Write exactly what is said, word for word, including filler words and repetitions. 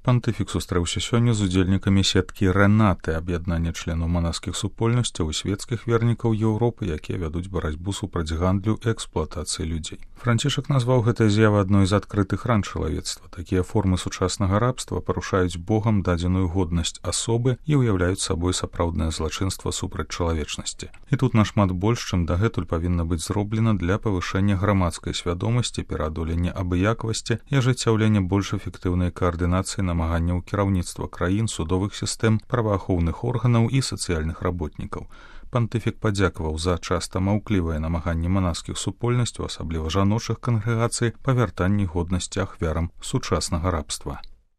Пантыфік сустрэўся сёння з удзельнікамі сеткі Рэнаты, аб'яднання членаў манаскіх супольнасцяў і свецкіх вернікаў Еўропы, якія вядуць барацьбу супраць гандлю і эксплуатацыі людзей. Францішак назваў гэтыя з'явы адной з адкрытых ран чалавецтва. Такія формы сучаснага рабства парушаюць Богам дадзеную годнасць асобы і ўяўляюць сабой сапраўднае злачынства супраць чалавечнасці. І тут нашмат больш, чым дагэтуль павінна быць зроблена для павышэння грамадскай свядомасці, пераадолення абыякавасці і ажыццяўлення больш эфектыўнай каардынацыі намаганняў кіраўніцтва краін, судовых сістэм, праваахоўных органаў і сацыяльных работнікаў. Пантыфік падзякаваў за часта маўклівыя намаганні манаскіх супольнасцяў, асабліва жаночых кангрэгацый, па вяртанні годнасці ахвярам сучаснага рабства.